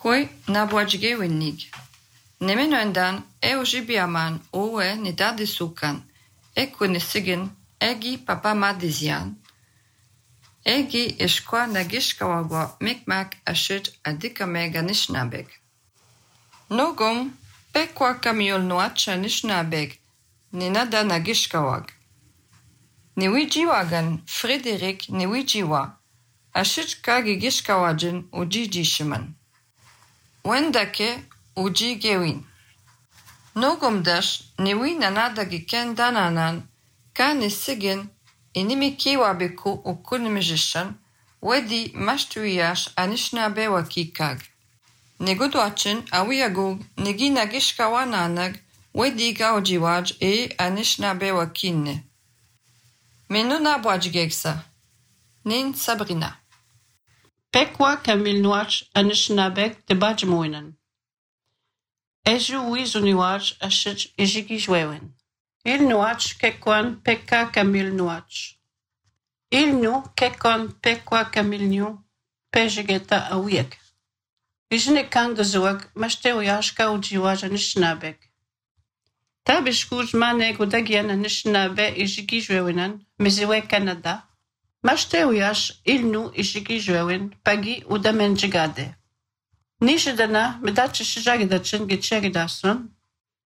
Koi nabuajge winnig. Nemen öndan jibiaman oe nidadi sukan. Nisigin egi papa madizian. Egi ishkwa nagishkawagwa mikmak ashit adika mega nishnabeg. Nogum pekwa kamiol nuacha nishnabeg. Ninada nagishkawag. Niwijiwagan Frederik niwijiwa. Ashit kagi gishkawajin ujijishiman. Wendake uji gewin. Nogum dash niwi nanada giken dananan ka nisigin inimi kiwabiku ukunimijishan wedi mashtuyash anishnabe wakikag. Nigudwachin awiyagug nigi nagishkawananag wedi gaujiwaj anishnabe wakinne. Menuna bwajgegsa. Nin Sabrina. Pekwa kamil nuach anishnabek te bajmoinen. Eju wizuniwach ashich ejigijwewen. Il nuach kekwan pekka kamil nuach. Il nu kekwan pekwa kamil nu pejegeta awiek. Ijne kang zuak mashtewashka ujiwaj anishnabek. Tabishkuj manek udagian anisnabe ejigijwewenan meziwe Canada. Mashteuyash ilnu ishigijwewen pagi udamenjigade. Nishidana medachi shijagidachin gicheridasun.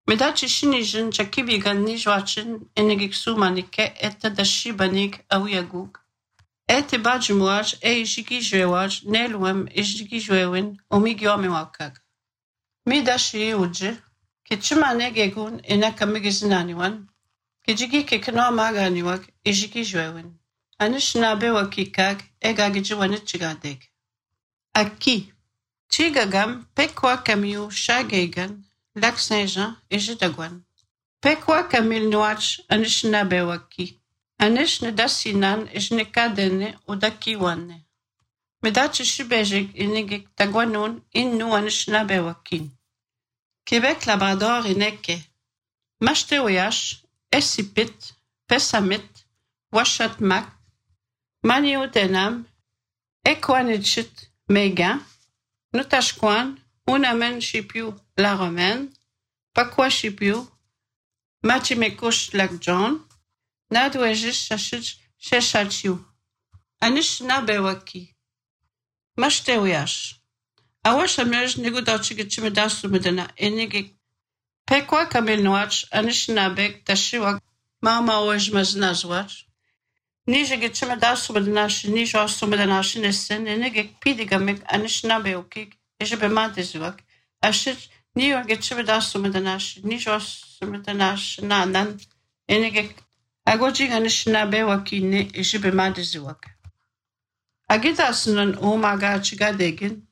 Medachi shinijin chakibigan nijwachin enigiksu manike eta dashibanig awiyagug. Ete bajmuaj ishigijwewaj nelwem ishigijwewen omigyomiwakag. Midashi uji kichimanegegun enakamigizinaniwan. Kijigi kekno maganiwak ishigijwewen. Anishnabe wakikag egagijiwanichigadeg. Aki. Chigagam pekwa kamiu shagegan Lac Saint-Jean ejidagwan. Pekwa kamil nuach anishnabe waki. Anishnedasinan ejnekadene udakiwanne. Medachi shibejig inigik tagwanun innu anishnabe wakin. Québec Labrador ineke. Mashteoyash esipit pesamit washatmak Maniu denam, equanichit mega, nutashquan, unamen shipiu la romaine, pakwa shipiu, machimekush lak John, nadwejish shashich sheshachiu. Anish nabewaki. Mashtewiash. Awashamej nigudachigichimedasu medena enigik. Pekwa kamil noach, anish nabek tashiwak, mama ojmaznazwach. Nije geçime daha subadanashi, nije osubadanashi nesin, enegek pidigamik anishnabeukik, ejebe madizwak. Ashit niyo geçime daha subadanashi, nije osubadanashi nanan, enegek agojig anishnabeukine ejebe madizwak. Agidasının umaga çıgadegin,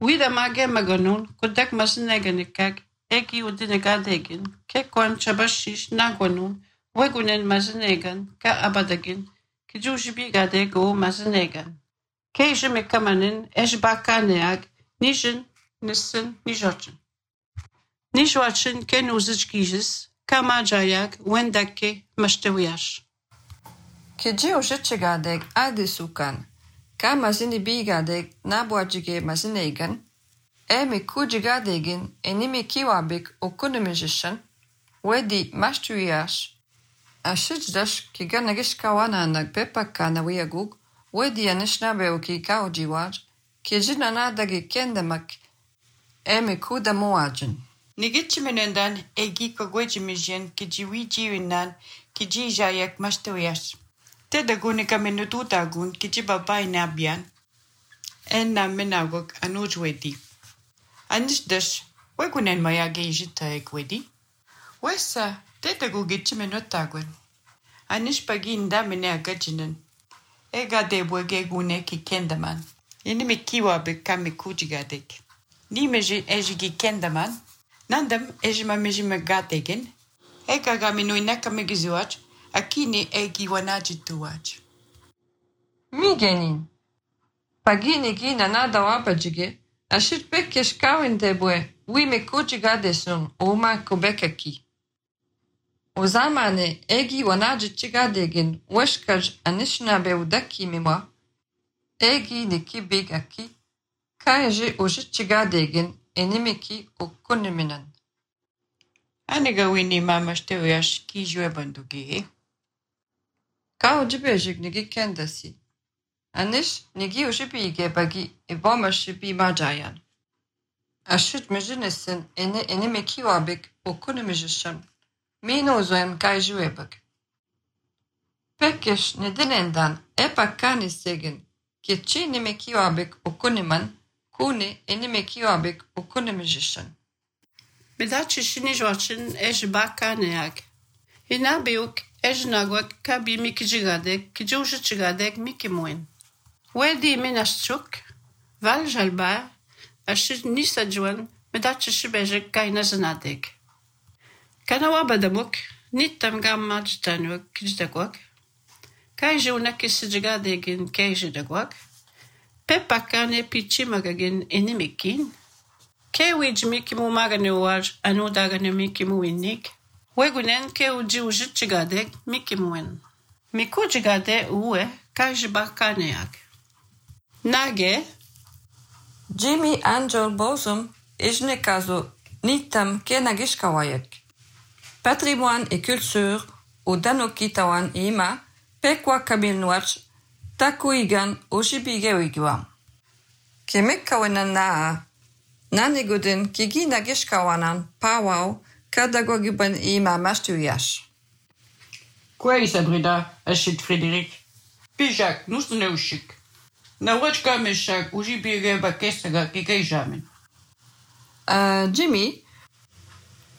Wida mage maganun, kudak mazineganikak, eki udinegadegin, kekwan chabashish nagwanun, wegunen mazinegan, ka abadagin, Kijujibi gade go mazinegan. Kejime kamanin ejbakaneag nijin nisin nijochin. Nijwachin ken uzijgijis kamajayag wendake mashtewiash. Kiji ujichigadeg adisukan. Ka mazini bigadeg nabuajige mazinegan. Emi kujigadegin enimi kiwabik ukunimijishan. Wedi mashtuyash. Ashijdash kiganagish kawananag pepaka na wiyagug, wedi anishnabeoki kaujiwaj, kijina nadagi kendamak, emi kuda muajin. Nigichimenendan egi kogwejimijien kijiwijiwinan kijijayak mashtawiyash. Tedagunika menututagun kijibabay nabian, enna menagog anujwedi. Anishdash, wegunen mayage ijita egwedi. Wesa, Tedagu gichimenotagwan. Anish paginda mene agajinen. Ega de bwegegune ki kendaman. Inimi kiwa bekame kujigadek. Ni meji ejigi kendaman. Nandam ejima mejima gadegen. Ega gaminu inaka megizuach. Akini egi wanajituach. Migenin. Pagini gina nada wabajige. Ashit bekesh kawin debwe. Wime kujigadesun uma kubekaki. Uzamane egi wanajichigadegin weshkaj anishnabe udaki miwa. Egi niki big aki. Kaiji ujichigadegin enimiki ukuniminan. Anega wini mamasteuias kijue bandugi. Ka ujibejik nigi kendasi. Anish nigi ujibige bagi ibomashibi majayan. Ashut mijinesin enimiki wabik ukunimijisham. Mino zoem kaijuebak. Pekish nedinendan epakani segin. Kichi nimeki wabik ukuniman, kuni enimeki wabik ukunimijisham. Medachi shini joachin bakaneak. Inabiuk nagwak kabi mikijigadek, kijujigadek mikimoin. Wedi minashchuk, val jalba, ashit nisajuan, medachi shibejek kainazanadek. Kanawabadamuk, nitam gamma jitanuk kijdakwak. Kaijuna kisijigadegin kaijidagwak. Pepakane pichimagagin enimikin. Kewej mikimu maganewaj anudagane mikimu innik. Wegunen keuji ujichigadek mikimuen. Mikujigade uwe kajibakaneak. Nage. Jimmy Angel Bosum ijnekazo nitam kenagishkawayek. Patrimoine et culture u danokitawan ima pekwa kabilnuach takuigan ujibigewigiwam. Kemekkawenan naa Nanigudin kigi nagishkawanan pawaw kadagogiban ima mastuyash. Quoi Sabrina, achète Frédéric. Pijak, nous sommes neuchik. Na wachka meshak ujibige bakessaga kikaijamin. Jimmy,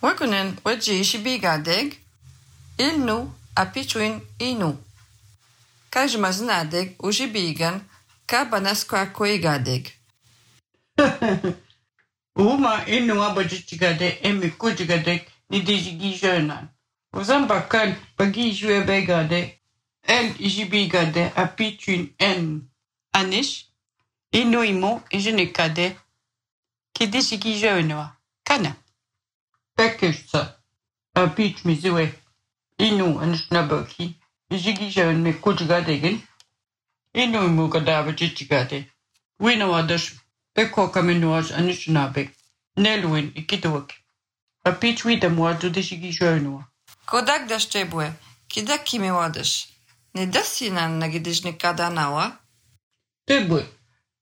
wakunen waji shibigadeg ilnu apichuin inu. Kajmaznadeg ujibigan kabanaskwa koigadeg. Uma inu abajigade emi kujigade ni dijigijönan. Uzambakan bagijue begade el ijibigade apitun en. Anish inu imo ijenekade ki dijigijönoa. Kana. Pekesta apit miziwe inu anishnabaki ijigijön me kujigadegen inu imo kadabajigade. Winawadash Pekko kamenuaj anishnabek. Nelwin ikidwak. Apich widamwa dudishigijönua. Kodak daszczebłe, kidak kimi ładysz. Nie dasinan nagidycznika nawa? Tebwe.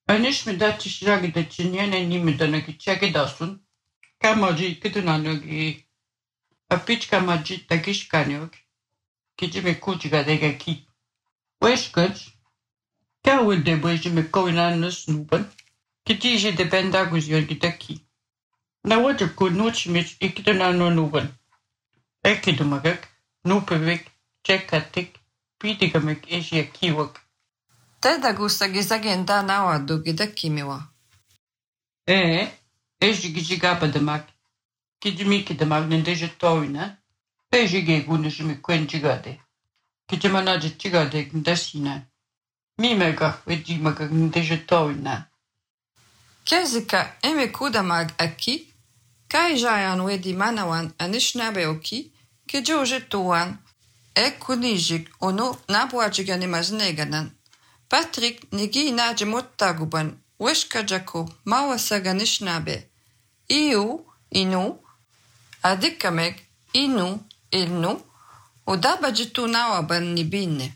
Anish mi dacish ragida chinyene nimida nagichage dasun. Kamaji kidunanogi. Apich kamaji tagishkanyok. Kijime kujiga dega ki. Weshkaj. Kawil debwe jime kowinan snuban. Kitiji de bendagus yorgidaki. Na water could not schmitz ikidana no nuban. Ekidumagak, nupevik, chekatik, pitigamek esia kiwak. Teda gustagi zagenda nawa dugida kimiwa. Ejigijigabadamak. Kijimikidamak nendeje toina. Pejige gunishimi kwenjigade. Kijimanaja chigade ndasina. Mimega wejimagak nendeje toina. Kezika eme kudamag aki, kai jayan wedi manawan anishnabeoki, kijujetuan, kunijik ono nabuajigan imazneganan. Patrick nigi najimuttaguban, weshkajako mawasaganishnabe. Inu, adikamek, inu, ilnu, udabajitu nawaban nibine.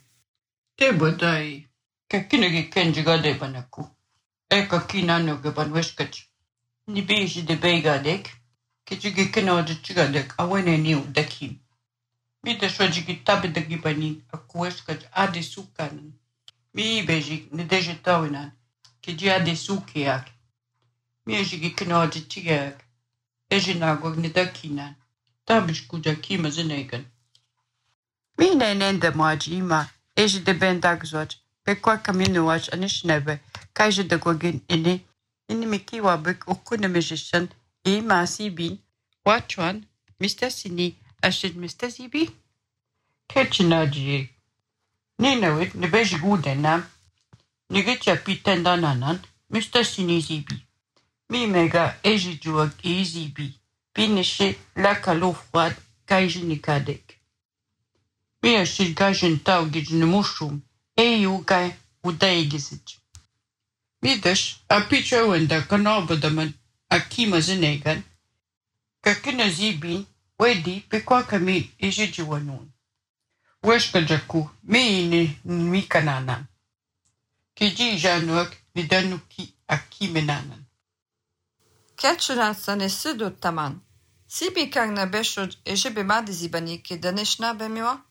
Tebadai, kakinagi kenjigade banaku. Eka kinano gaban weskach. Ni beji de begadek. Kijigi kinoja chigadek awene niu dakim. Mida shojigi tabi dagibani aku weskach ade sukanan. Mi beji ni deje tawinan. Kiji ade sukiak. Mi ejigi kinoja chigak. Eji nagwag ni dakinan. Tabish kuja kima zinegan. Mi nenenda maji ima. Eji de bendagzwaj. Pekwa kaminuaj anishnebe. Kaije de gwagin ini mikiwa bek ukunemejishan ima sibin. Wachuan, Mr. Sini, ashid Mr. Sibi? Ketchinaji. Ninawit, ne beji gudenam. Nigetja pitendananan, Mr. Sini Sibi. Mi mega eji juag ezibi. Pinishe la kalo froid kaije nikadek. Mi ashid gajen tau gijne mushroom. Eyu gai udaigizit. Midas, a picha wenda kanobodaman a kima zinegan. Kakina zibin, wedi pekwa kami ijijiwanun. Weshka jaku, meini mikananan. Kiji januak nidanuki a kimenanan. Ketchuratsan és szüdöttaman. Szibikagna besod és ebe madizibaniki, de nesna bemiwa?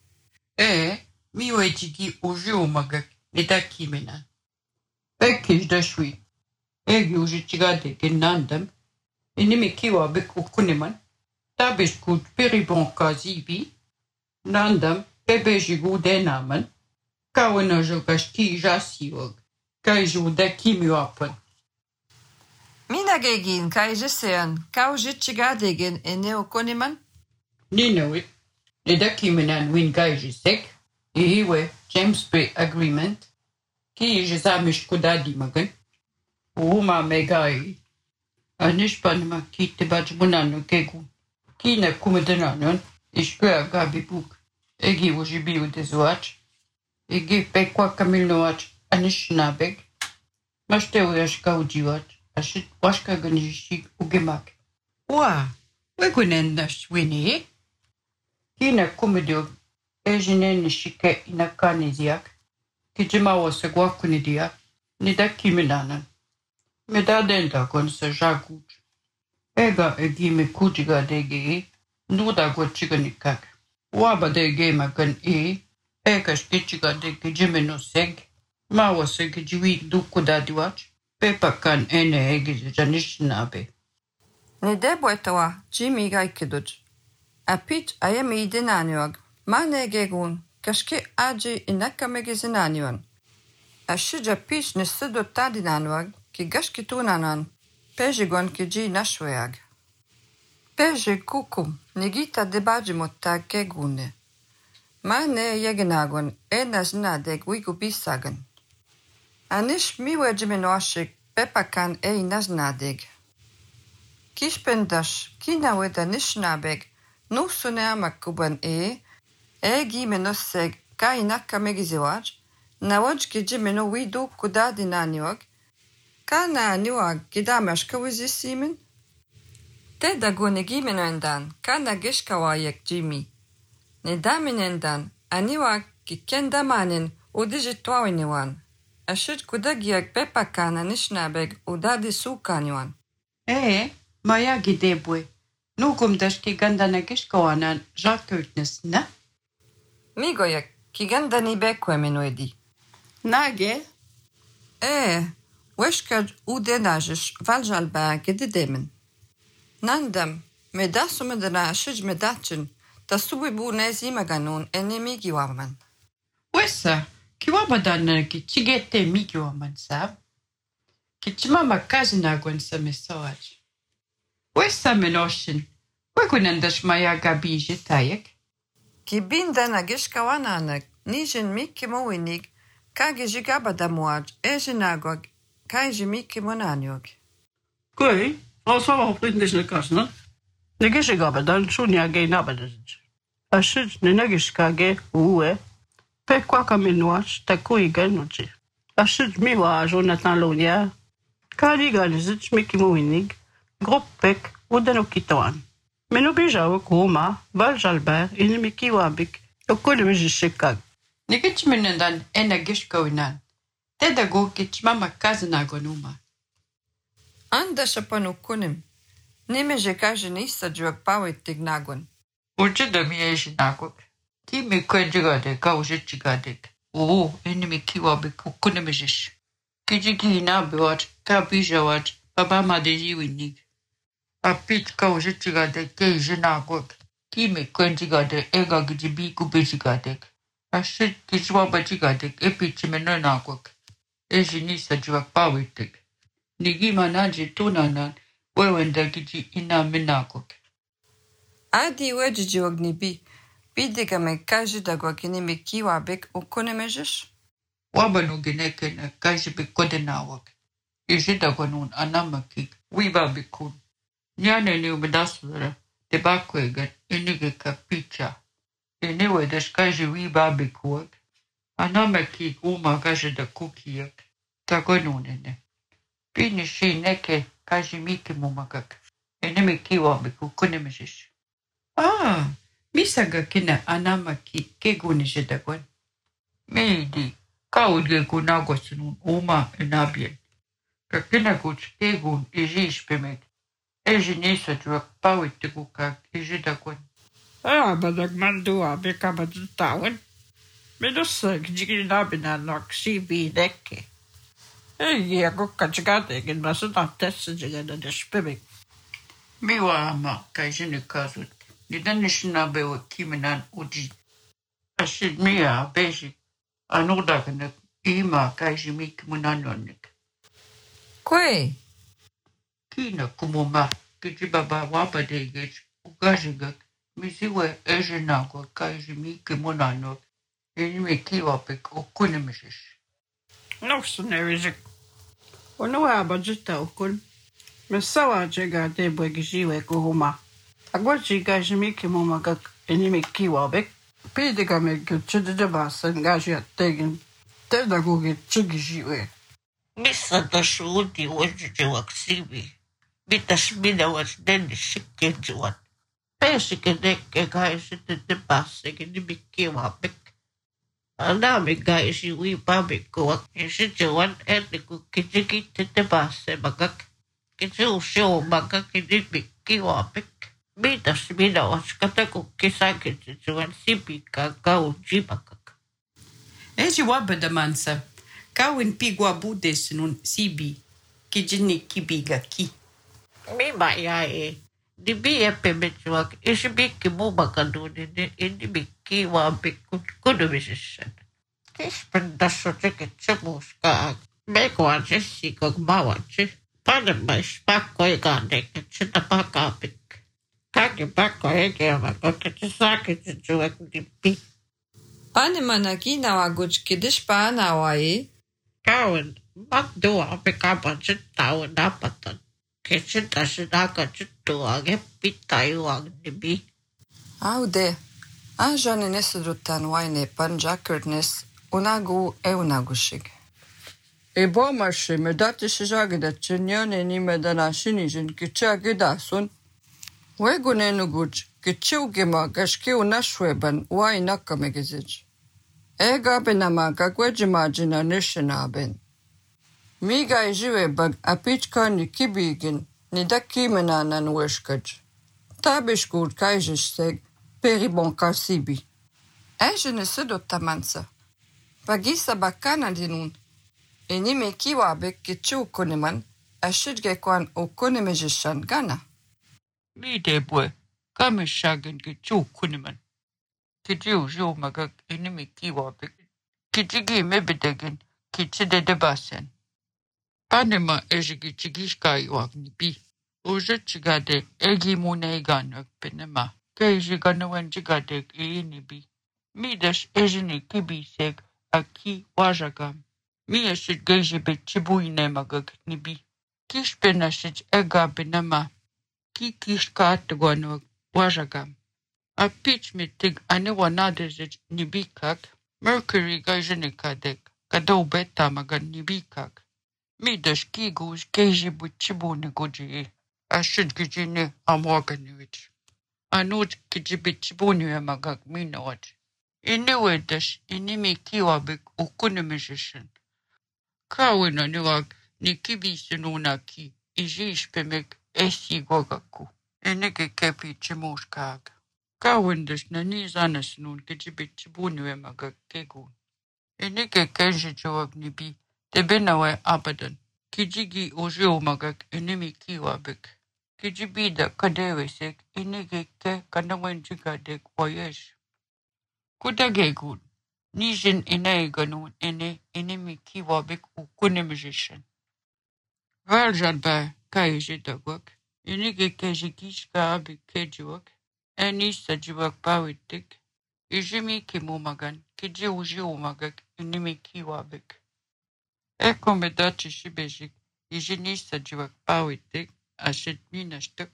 Mi wejtigi ujiumagak nida kimenan. Ekkish dashwi. Egi ujitjigade genandam. Inimi kiwa beku kuniman. Tabish kut peribonka zibi. Nandam bebejigu denaman. Kawana jogashki jasiog. Kaiju da kimiwapan. Minagegin kai jesean, kau jitchigadegen eneo koniman? Ninawit. Nida kimenan win gaijisek. Ihiwe James Bay Agreement. Ki jezamish kudadi magan. Uma megai. Anishpanma ki te bajmunano kegu. Ki na kumedananon. Ishkua gabi buk. Egi ujibiu de zoach. Egi pekwa kamilnoach. Anishnabeg. Mashteu yashka ujiwach. Ashit washka ganishik ugemak. Wa. Wegunendash wini. Ki na kumedio. Ejinen nishike inakanisiak. Kijimawa se guakunidia. Nida kiminanan. Meda denda kon se jaguj. Ega egime kujiga dege. Nuda guachiganikak. Waba dege magan ega shkichiga dege jimeno seg. Mawa seg jiwi dukudadiwach. Pepa kan ene ege janishnabe. Nidebo etawa, Jimmy gaikiduj. Apit ayemi idenaniog. Mane gegun, kashke aji inaka megizinanion. Ashija pish nisido tadinanuag, ki gashki tunanan, pejigon ki ji nashweag. Peji kukum, nigita debaji mottag gegune. Mane yegenagon, naznadeg wigu bisagan. Anish miwe jimenoashik, pepakan naznadeg. Kishpendash, kina weda nishnabeg, nusune amakuban Egi menoseg ka inaka megiziwaj, nawaj ki jimeno widu kudadi naniwag, ka na niwag kidamashka wizisimin? Teda gune gimeno endan, ka na gishka wayek Jimmy. Nedamin endan, aniwag ki kendamanin udijitwawiniwan. Ashit kudagiak pepakana nishnabeg udadi sukaniwan. Maya gidebwe. Nugum dashki gandana gishka wanan jakutnes na? Migoyak, ki gandani bekwe menoedi. Nage? Weshkaj udenajish valjalba gedidemin. Nandam, medasumedana ashij medachin, tasubibu nezimaganun enemigiwaman. Wessa, kiwabadana ki chigete migiwaman sab. Ki chimama kazina gwen sa mesawaj. Wessa menoshin, wegunandash maya gabi jitayek. Ki bindana gishka wananak, nijin miki mowinig, kagi jigabadamuaj, ejinagog, kaiji miki monaniog. Kui, also hoffentlich ne kasna. Ne gishigabadan shunya ge nabadaj. Ashit ne nagishkage uwe, pe kwa kaminuach ta kuiga nuchi. Ashit miwa Jonathan Lonia, kali ganizich miki mowinig, grop pek udenokitoan. Meno bijao kuma, valjalber, inimiki wabik, okolimejishikag. Nikichminendan gishkoinan. Teda go kichmama kazina gonuma. Anda shapanu kunim. Nimeje kaji nisa juak pawit tignagon. Uchida miejinagok. Kimi kwenjigade kaujichigadek. Inimiki wabik ukunemejish. Kijiki nabiwat, kabijawat, babama de jiwinig. Apit kaujichigade keijinagok. Kimi kwenjigade ega gijibi kubijigadek. Ashit kijwabajigadek epichimenonagok. Ejinisa juak pawitek. Nigima naji tunanan wewenda giji ina minagok. Adi wejiji ognibi. Bidiga me kaji dagwak inimiki wabik ukunemejish? Wabanu genekena kajibi kodenawak. Ijidagwanun anamakik wibabikun. Nyane ni umedasura debakwegan inigeka picha. Inewe dashkaji wibabikuak. Anamakik umagajida kukiyak. Tagonunene. Pini shineke kajimiki mumagak. Enemi kiwabik ukunemishish. Misaga kina anama kegunishitakwan. Meidi kaudge kunagosinun uma enabien. Kakina kuch kegun ijish pemek. Ejinisa juak pawittikukak ijitakwan. Badak mandua beka badutawan. Medusa gijigina binanak si bideke. Ako kachigate gin masuna tessa jigana despebek. Miwa ama kajinukazut. Nidanishina bewa kiminan uji. Ashid mia basic. Anudaganak ima kajimik munanonik. Kwe, Kina kumuma kijibaba wabadegej ugajigak. Misiwe ejinagwa kajimik munanok. Enime kiwapik ukunemishish. Noxonerizek. Ono abajita okun. Mesawa jega de bwegijiwe kuhuma. Agwa jiga jimiki mumagak enimi kiwabek. Pidiga me gutchide basen gaji attegin. Tedagoge chugijiwe. Misa da shuudi wajiji waksibi. Bitas mina was deni shikke juan. Pesike dekke gaisi te basse ni bikki wabek. Anami gaisi wi babek kuwak. Isi juan eni ku kijiki te basse magak. Kiji usio magak ni bikki wabek. Bitas mina was kataku kisake juan sibika gau jibakak. Eji wabada mansa. Kawin pigwa budes nun sibi. Kijini kibiga ki. Mi maya di bi epemechuak isi bikki mumakaduni ni bikki wabek kudu bisishan. Kispen daso teke tsemuska. Meko aje sikok mawaje. Pane mais pakko egane kitsina pakapik. Kaki pakko egema kote sake tsuak di bi. pane manakina waguch kidish paana wae. Kawin magdua pekapa tau dapatan. Kitsita sinaka tsuage pitayu ang dibi. Aude, anjane nesudrutan waine panjakurtnes unagu unagushig. E bomashi medati shijagida chinyone ni medana shinijin kichagidasun. Wegunenuguch kichugima gashki unashweban wai nakamegizij. Ega benamaga gwejimajina nishinaben. Miga ijiwe bag apichkani kibigin nidakimenanan weshkaj. Tabishgur kaijisteg peribon kasibi. Ejene sudotamansa. Bagisa bakana dinun. Enime kiwabek kichu koneman ashidgekwan ukonemejishan gana. Midebwe kamishagen kichu kuniman. Kijiu jo magak enime kiwabik. Kijigi mebedegen kichide debasen. Panema ejigi chigishkai wagnibi. Oje chigade egi muneiganak penema. Kejiganawen chigadek inibi. Midas ejini kibiseg aki wajagam. Mi eshit gejebe chibuine magak nibi. Kishpenashit ega penema. Ki kishkaatgwanwag wajagam. A pitch mitig anewanadezit nibikak. Mercury gajinikadek. Kadou beta magan nibikak. Midas kigus kejibu chibune goji. Ashit gijine amorganivich. Anut kijibit chibune magak minawat. Inewedash inimi kiwabik ukunemishishin. Kawina niwag nikibisinunaki. Ijish pemek esi gogaku. Enege kepi chimushkag. Kawindash nanizanas nun kijibit chibune magak kegun. Enege kenji jawag nibi. Tebenawe abadan. Kijigi ojio magak enemi kiwabik. Kijibida kadewesek enege ke kanawen jigadek wayesh. Kudagegun. Nijin inaiganun enemi kiwabik ukunemishishin. Valjanba kaijidagwak. Enege kejigishka abik kejiwak. Enisa jiwak bawitik. Ijimi kimumagan. Kiji ojio magak enemi kiwabik. Eko medachi shibejik, ijinisa jiwak pawitik, ashit minashtuk.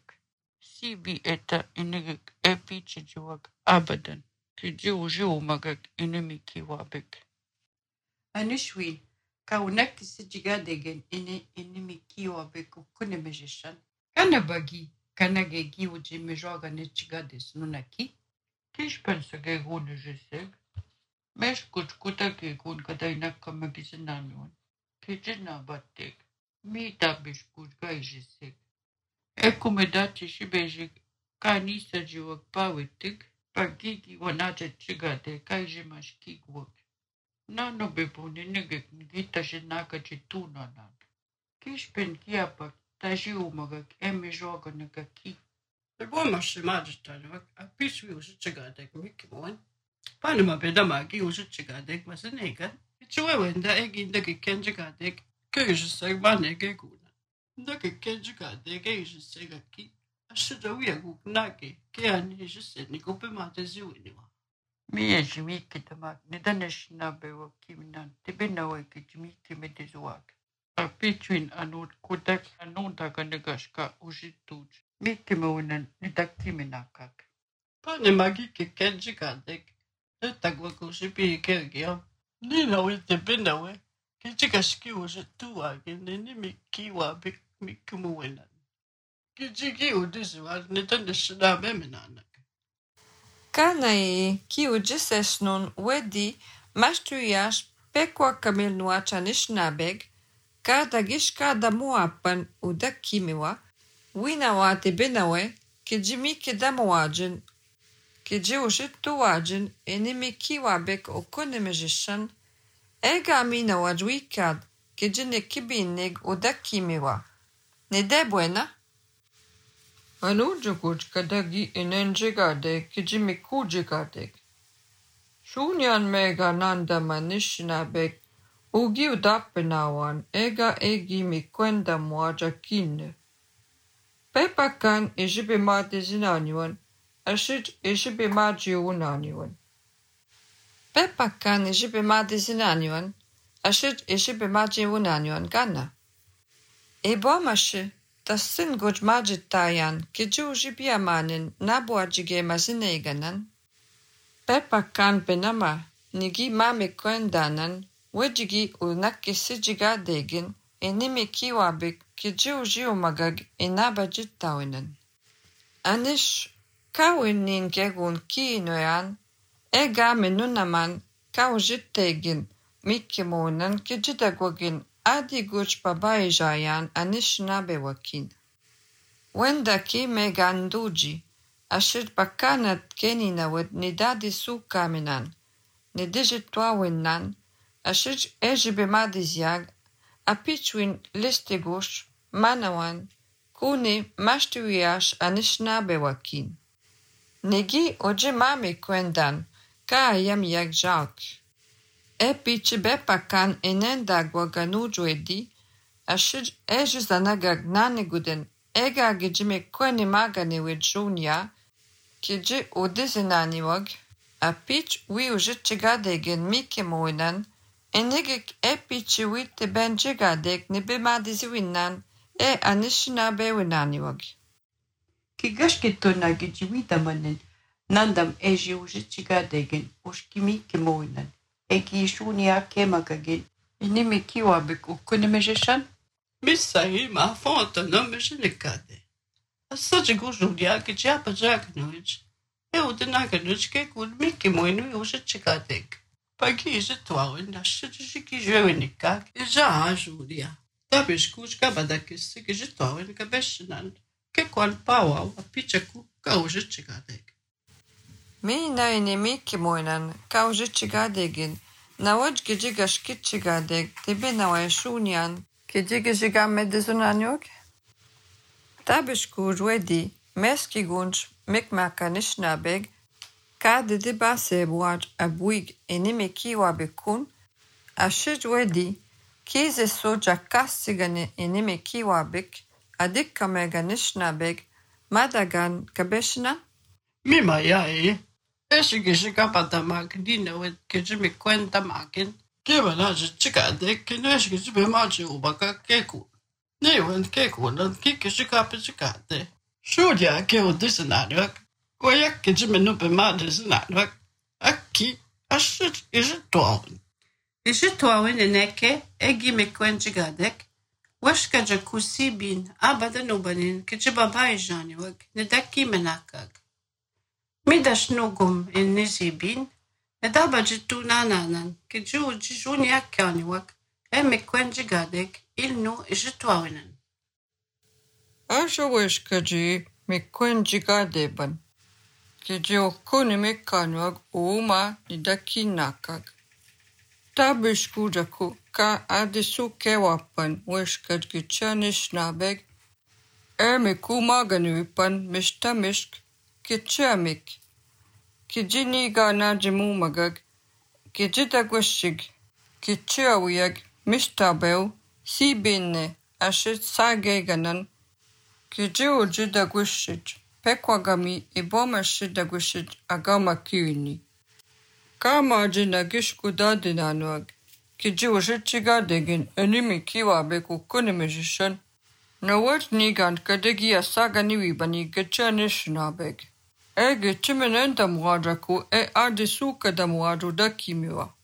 Sibi eta inigik epichi jiwak abadan. Kiji ujiu magak inimi kiwabik. Anishwi, Kaunak sijigadagan ini kiwa beku kunemejishan. Kana bagi kana gegi uji mejoga nechigades nunaki. Kish pensa ge gune jeseg. Mesh kuchkuta ge gun kadaina kamagisinanyuan. Kijina batek. Mi tabish kujga jeseg. Ekumedati shibejik kanisa jiwak pawitik. Pagigi wanate chigade kaijimash kikwak. Nano bebune nege gita shinaka chituna nan. Kishpen kiapak taji umagak eme joga negaki. Det går masse majestad, a piswi usichigadek mikimoan. Panama bedamagi usichigadek masenega. Ichuwenda eginda kenjigadek, kujiseg manege guna. Ndake kenjigadek ejisegaki. Ashida wiagu nage, keani ejiseni kupemate ziwiniwa. Mie jimiki tamak nidanesh na bewa kiminan tibinawe ki jimiki medezuak. A pitwin anut kudak anunda ganegashka ujituj. Miki meunan nidakiminakak. Panama gike kenjigadek. Etagwa kusipi kergia. Nina wite benawe. Kijikaski ujitua geneni mikiwa bik mikumuwenan. Kijiki udisuwa nidanesh na bemenanak. Kanai ki ujisesnun wedi mašturijaš pekwa kamilnuača nishnabeg, kada gishka da muapan uda kimiwa, winawa te benawe, ki jimi ki da muajin, ki ji ujitu wajin, enimi kiwa bek okone mejishan, ega amina wajwikad, ki jine kibinig uda kimiwa. Ne de buena? Anujukuj kadagi inenjigadek kijimi kujigadek. Shunyan mega nanda manishnabek ugi udapenawan ega egi mikwenda mwajakine. Pepakan ejibe mate zinanyuan, ashit ejibe maji unanyuan. Pepakan ejibe mate zinanyuan, ashit ejibe maji unanyuan gana. Ebo mashe. Das sind gut majitayan, kiju jibiamanin nabuajige mazineganan. Pepa kan benama, nigi mame kwendanan, wejigi unaki sijiga degin, enimi kiwabik kiju jiumagag enabajitawinan. Anish kawinin gegun kiinoyan, ega menunaman kawjitegin, mikimonan kijidagwagin adi guch babajayan anishnabe wakin. Wenda ki meganduji, ashir bakanat keninawet nidadi su kaminan, nidijitwa winnan, ashir ejibe madizyag, apichwin listegush, manawan, kuni mashtuyash anishnabe wakin. Negi oje mame kwendan, ka ayam yak jak. Epici bepakan enendagwa ganuju edi, ashir ejizanagag naneguden ega gijime kweni magane wejunya, kiji udizinaniwag, apic wi ujichigadegen mike moinan, enegek epici wite benjigadeg nebe madiziwinan anishina bewinaniwag. Kigashketona gijiwita manen, nandam eji ujichigadegen ushkimike moinan. Eki shunia kemagagin. Inimi kiwabik ukunemejishan? Misai ma fonta não mexinicade. A saja gujudia que japa jagnuj. Eu de naganuj que good miki moinu eu chicadek. Pagi je toa na shiji que jewenica e já ajudia. Tabes kuj kabada que se que je toa na cabeshinan. Que qual pau a pichaku kauja chicadek. Mina inimi kimoinan kaujichigadegin. Nawaj gijigashkichigadeg tibe nawashunyan kijigijiga medizunanyog. Tabishku wedi meski gunch mikmakanishnabeg kade de basebuaj abuig enimi kiwa bekun ashij wedi kize soja kassigane enimi kiwa bek adikka meganishnabeg madagan kabeshna. Mima yae. Esse que chega para dar máquina, que já me conta máquina, que vai lá de chicade, que não é que se vê mais de uma que cu. Nem o que cu, não que chega para chicade. Júlia, que eu disse nada, olha que já me não vê mais de nada, aqui, acho que já estou. Ijitwawin eneke egi mekwenjigadek washka jakusi bin abadan ubanin kijibabajani wag nedaki menakag. Midash nugum in nizibin edaba jitu nananan kiju jijuni akani wag mekwenjigadek ilnu ijitwawinan. Asho weshkaji mekwenjigadeban. Kiji okuni mekanwag uma nidaki nakag. Tabishku jaku ka adisu kewapan weshkaj gichanish nabeg meku maganiwipan mistamishk kichamik. Kijini gana jimu magag kijitagwashig kichawiyag mistabeu si binne ashit sageganan kijiu jidagwashij pekwagami ibomashidagwashij agama kiwini. Kama jina gishku dadinanuag kijiu jichigadegin enimi kiwabek ukunimijishan nawat nigan kadegi asagani bani gichanishnabeg. Gichimenenda muadraku adisuka da muadru dakimiwa.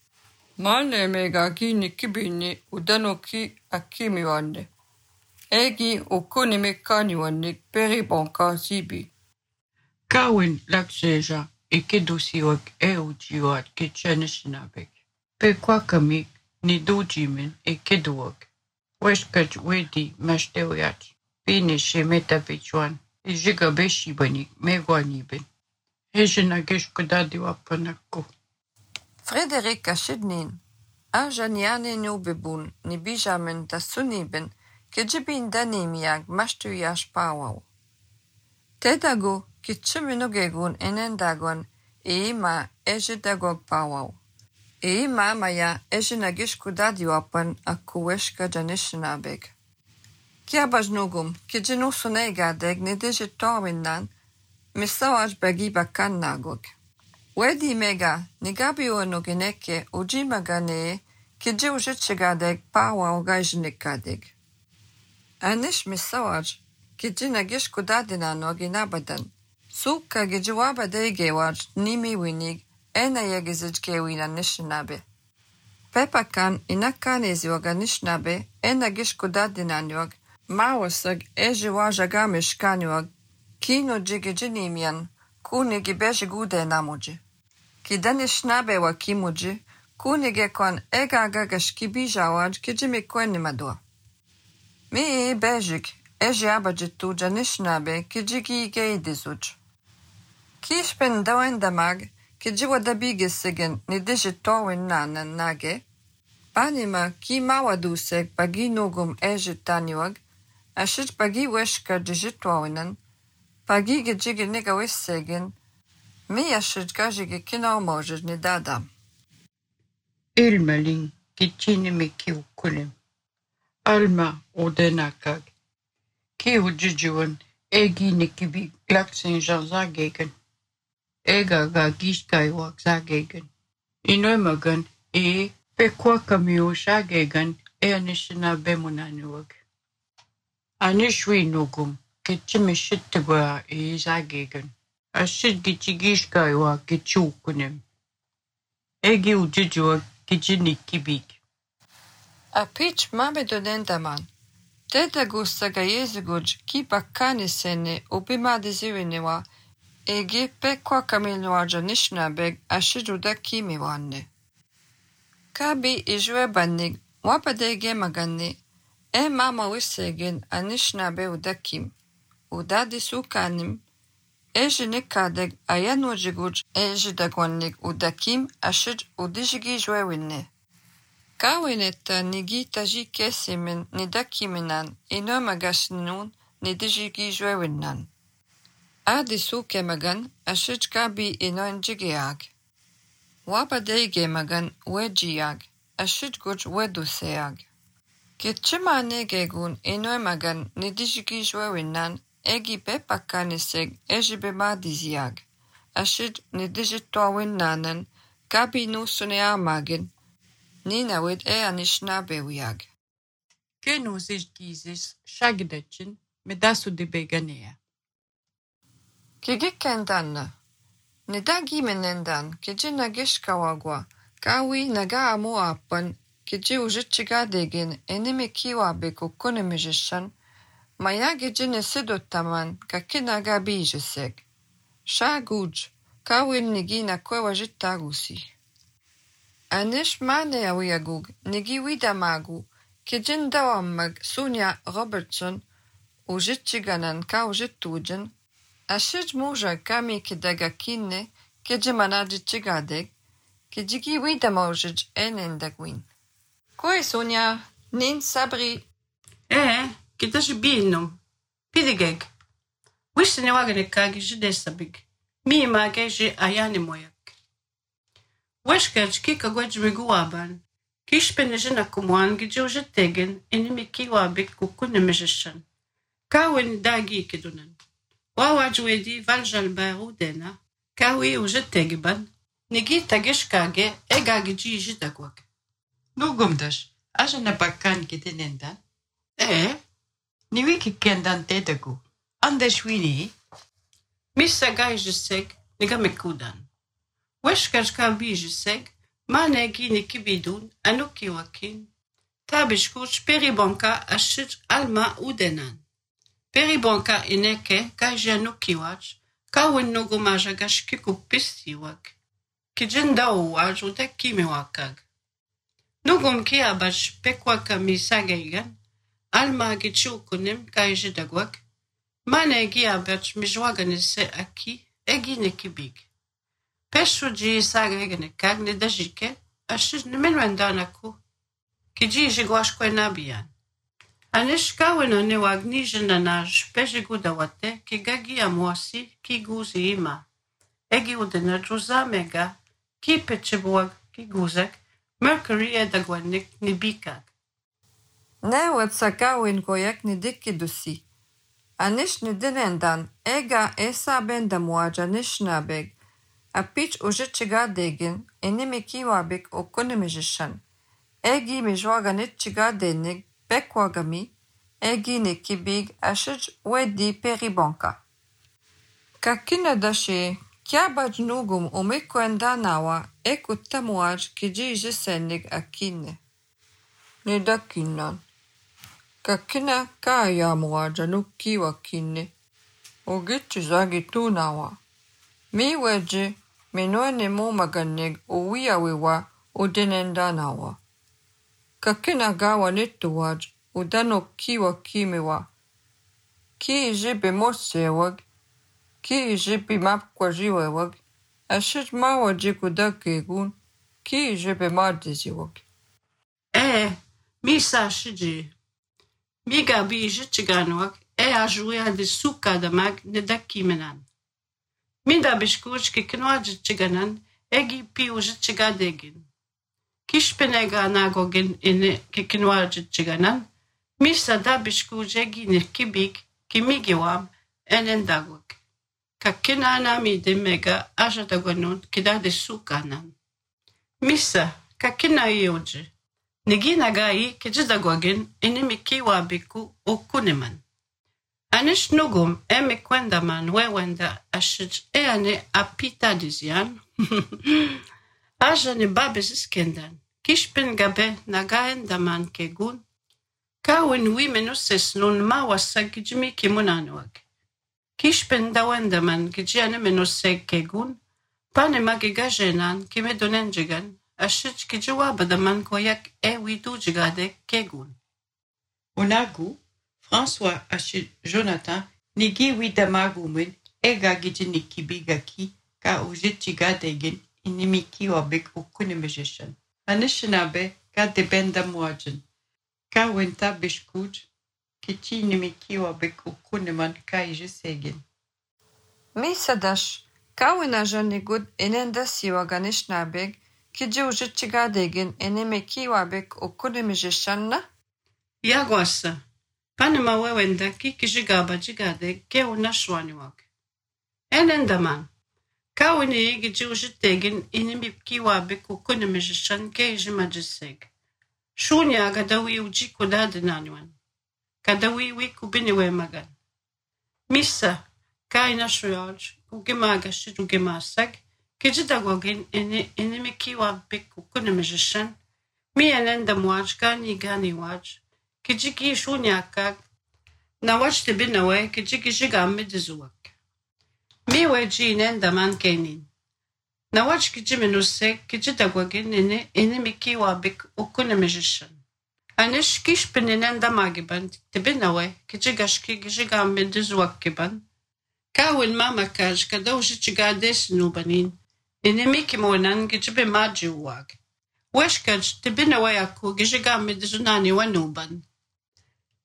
Mane mega gini kibini udanoki akimiwande. Egi ukunimekaniwanik peribonka zibi. Kawin lakseja ikedusiwag ujiwat gichanishnabeg. Pekwakami ni dujimin ikeduwag. Weshkaj wedi mashtewiyat. Bini shemeta bichwan. Ijiga beshi bani megwanibin. Hejina geshkudadi wapanakku. Frederik ashidnin. Ajaniane nubebun ni bijamen da sunibin kijibin danimiag mashtuyash pawaw. Tedago kichiminogegun enendagon ima ejidagog pawaw. Ima maya ejinagishkudadi wapan akuweshka janishinabeg. Kiabajnugum kijinusunegadeg nidijitawinnan misawaj bagi bakan nagog. Wedi mega nigabionogeneke ujimagane kijiujichigadeg pawaw gajnikadeg. Anish misawaj kijinagishkudadinanog inabadan. Suka gijiwabadegewaj nimi winig enayagizijgewina nishinabe. Pepakan inakanezioga nishnabe enagishkudadinanyog mawasag ejiwajagamish kino jigijinimian kunigi bejigude namuji. Kidanishnabe wa kimuji kunige kon egagagashkibijawaj kijimikwennimadua. Mi bejik ejiabajitu janishnabe kijigi geidizuj. Kishpen dawendamag kijiwadabigisigen nidijitowin nanan nage. Panima ki mawadusek bagi nugum ejitaniwag ashit bagi weshka dijitwawinan bagi gijigi niga wissegen mi ashit gajigi kinaumojid ni dadam. Ilmelin kichini kiukulim. Alma odenakag. Kiujijuan egi nikibi glaksen zagegen. Ega ga gishkaiwak zagegen. Inoimagan pekwakamiu zagegen anishina bemunaniwag. Anishwi nugum kichimishittigwa zagegen. Ashit gichigishkaiwa kichukunim. Egi ujijuwa kichinikibik. Apich mamedonendaman. Tedagusta gayeziguj ki bakanisene ubimadiziwiniwa egi pekwakamiluaja nishnabeg ashiduda kimiwanne. Kabi ijwe bannig wabadege maganni mama wissegen anishnabe udakim. Udadi sukanim ejinikadeg ayanujiguj ejidagwannig udakim ashid udijigi jwewinne. Kawinetta nigita jikesimin nidakiminan inomagasinun nidijigi jwewinnan. Adi suke magan ashid kabi inonjigiag. Wabadege magan wejiag ashid guj weduseag. Kichimanegegun inoimagan nidijigi jwewinnan egi bepakaniseg ejibemadiziag. Ashid nidijitwawinnanan kabi nusuneamagin ninawid anishnabewiag. Kenuzizgizis shagdachin medasu de beganea. Kigikendanna. Nidagimenendan kijinagishkawagwa Kawi naga amu apan, kiji ujichiga degin, enimi kiwabik ukunemijishan, maya gijine sidotaman, kakinaga bijiseg. Sha guj, kawin nigi na kwewa jitagusi. Anish mane awiyagug, nigi widamagu, kijin dawamag Sonia Robertson, ujichiganan ka ujitujin, ashij muja kami kidaga kinne, kijimanadichigadeg, kijigi widamojij enendagwin. Koi Sonia, nin sabri. Kidash binum. Pidigeg. Wishne wagane kagi jidesabig. Mi mageji ayane moyak. Weshkaj kika gwajmiguaban. Kishpenejina kumuan gijujitegen enimi kiwabik kukunemejishan. Kawin dagi kidunan. Wawajwedi valjalbaru dena. Kawi ujitegban. Nigi tagishkage egagiji jidagwak. Nugumdash, ajana bakkan kitinendan. Niwi kikendan tedagu. Andeshwini. Missa gaijiseg nigamekudan. Weshkaj kabijiseg manegi nikibidun anukiwakin. Tabishkuch peribonka ashij alma udenan. Peribonka ineke kajanukiwach kawin nugumaja gashkiku pistiwak. Kijinda uwaj udekimiwakag. Nugum kiabash pekwaka misageigan, alma gichukunim kaijidagwak, mane giabach mijwaganise aki eginekibig. Peshuji sageiganekag nidajike, ashiz nimenwendanaku, kiji jigwashkwe nabiyan. Anish kawina niwagnijinanaj pejigudawate kigagi amwasi kiguzi ima. Egi udena juzamega ki pechibuag kiguzek, Mercury edagwanik nibikag. Newet sakawin koyak nidikidusi. Anish nidinendan ega esa bendamuaja nishnabeg. Apich ujichiga degin enimi kiwabik okunemijishan. Egi mijwaga nitchiga denig bekwagami. Egi nikibig ashij wedi peribonka. Kakina dashi kiabaj nugum umikwendanawa ekutamuaj kiji jisenig akine. Nidakinan. Kakina kaya muaja nukiwa kine. Ugichi zagi tunawa. Mi weji minwene mumaganig uwiawiwa udinendanawa. Kakina gawa nituwaj udano kiwa kimiwa. Ki jibi mosewag. Ki jibi mapkwajiwewag. Ashij mawaji kudakegun. Ki jibi madiziwag. Misa shiji. Miga bi jichiganwak ajuia de sukadamag nedakimenan. Minda bishkuch kikinwa jichiganan egi pi ujichigadegin. Kishpenega nagogin ine kikinwa jichiganan. Misa da bishkuch egi nikibik kimigiwam enendagwak. Kakina nami de mega ajadagwanun kida de sukanan. Misa kakina yoji. Nigina gai kijidagwagin enimi kiwabiku okuneman. Anish nugum emekwendaman wewenda ashij eane apita dizian. Ajane babesiskendan. Kishpen gabe nagaendaman kegun. Kawin wimenuses nun mawasa gijimi kimunanwag. Kishpen dawendaman gijiane menuseg kegun. Pane magigajenan kimedonenjigan. Ashij kijawabadaman koyak widujigade kegun. Unagu, François ashij Jonathan, nigi widamagumin ega gijinikibigaki ka ujichigadegin inimiki wabik ukunemejishan. Anishinabe ka debenda muajin. Ka wenta bishkuj kichi inimiki wabik ukuneman ka ijisegin. Misadash, kawina janigud enendasiwaganishnabeg kiji ujichigadegin enimi kiwabik ukunemejishanna? Yagwasa. Panama wewenda kikijigaba jigade ke unashwaniwak. Enendaman. Kawini gijiujitegin inimi kiwabik ukunemejishan ke jimajiseg. Shunya gadawi ujikudadinanywan. Kadawi wikubiniwe magan. Misa, kaina shuyaj, ugimagashid ugimasag, Kijitagogin inimikiwa bik ukunemishan. Mi enenda muaj gani waj. Kijiki shunyakak. Na waj tibinawe kijiki jigami dizuak. Mi weji inenda man kenin. Na waj kijiminusek kijitagogin inimikiwa bik ukunemishan. Anish kish peninenda magiban tibinawe kijigashki jigami dizuak kiban. Kawin mama kaj kadauji chigades nubanin. Inimiki monan gijibe maji uwag. Weshkaj tibina wayaku gijigami dizunani wanuban.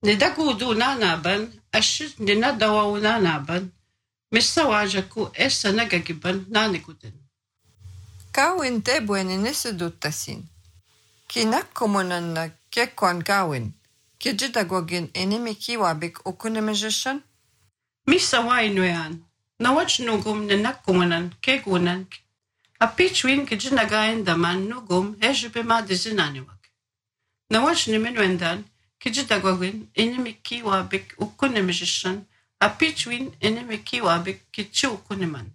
Nidagudu nanaban, ashit ninadawa nanaban. Missa wajaku essa nagagiban naniguden. Kawin tebuen inisiduttasin. Kinakkomunanna kekwan kawin. Kijitagogin inimiki wabik ukunemishan. Missa wainuyan. Nawach nugum ninakkomunan kegunan. Apichwin kijinagain daman nugum ejibe madizinaniwak. Nawach nimenwendan kijitagogin inimiki wabik ukunemishan. Apichwin inimiki wabik kichi ukuneman.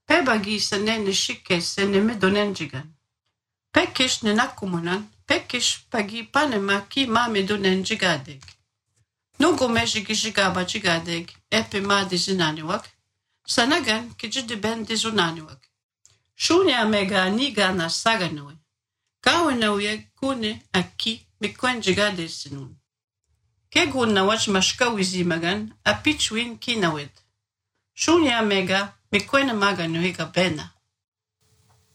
Pebagi sanene shike seneme donenjigan. Pekish ninakumunan, pekish pagi panema ki mame donenjigadeg. Nugum ejigijigaba jigadeg epe madizinaniwak. Sanagan kijidiben dizunaniwak. Shunya mega nigana saganoi. Kawenauye kune aki mikwenjigade sinun. Kegun na wach mashkawizi magan apichwin kinawed. Shunya mega mikwena maganoi gabena.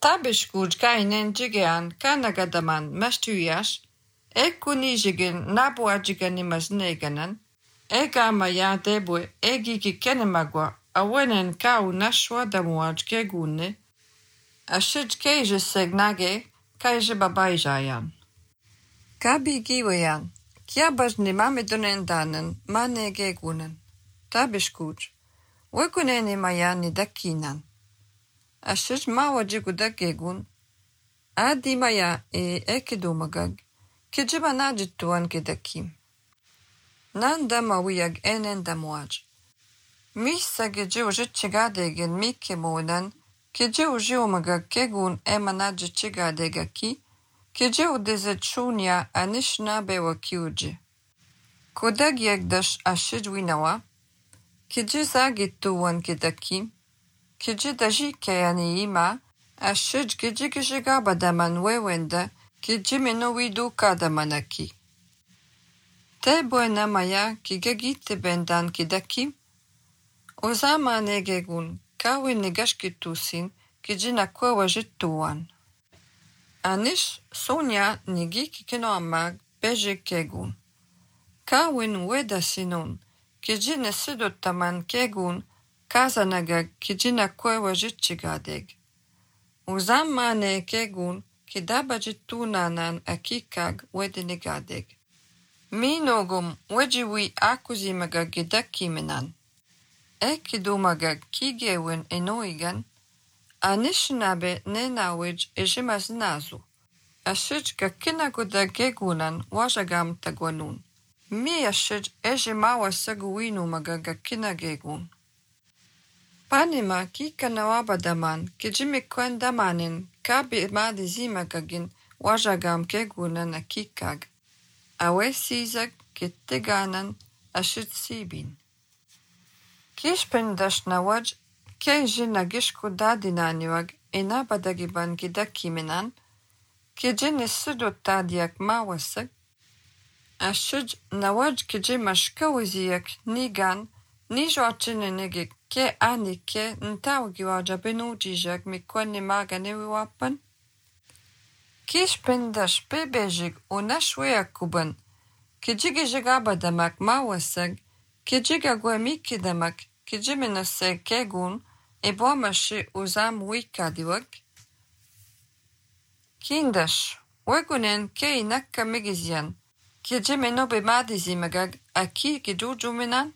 Tabishkuj kainen jigean kanagadaman mastuyash. Ekunijigin nabuajigan imasneganan. Egama ya debwe egiki kenemagwa awenen kau nashwa damuaj kegune. Ashid keje segnage kaje babaijayan. Kabi giwayan. Kiabaj ni mame donendanen mane gegunen. Tabishkuj. Weguneni mayani dakinan. Ashid mawajiguda gegun. Adi maya ekidumagag. Kijiba najituan kedakim. Nanda mawiyag enen damuaj. Misa geje ujichigadegen mike monan. Keje ujiumaga kegun emanaji chigadegaki. Keje udezet shunya anishna bewa kiuji. Kodag yagdash ashid winawa. Keje zagituan kedakim. Keje daji kayani ima. Ashid keje gabadaman wewenda. Keje menowidu kadamanaki. Te buena maya kigagite bendan kedakim. Ozama negegun. Kawin negashkitusin kijina kwa wajituan. Anish sonya nigiki kenoamag beje kegun. Kawin weda sinun kijina sidotaman kegun kazanaga kijina kwa wajitchigadeg. Uzama ne kegun kidabajitunanan akikag wedinigadeg. Minogum wejiwi akuzimaga gidakimenan. Ekidumaga kigewen enoigan, anishnabe nenawij ejimaznazu. Ashijka kinaguda gegunan wajagam tagwanun. Mi ashij ejimawa saguinu magaga kinagegun. Panima kikanawabadaman kijimikwendamanin kabi madizimagagin wajagam gegunan akikag. Awe sizag kitteganan ashij sibin. Kishpendash nawaj, keji nagishku dadinaniwag ina badagiban gidakimenan, keji nisudu tadiak mawasak, ashij nawaj keji mashkawiziyak nigan, nijoachinenege ke ani ke ntawgiwaja benujijak mikwane maganewiwapan. Kishpendash pebejig unashweyakuban, keji gijigabadamak mawasak, Kejiga gwemikidamak, kejiminose kegun, eboamashi uzam wikadiwak. Kindash, wegunen ke inakka megizian, kejimeno bemadizimagag, aki gejujuminan.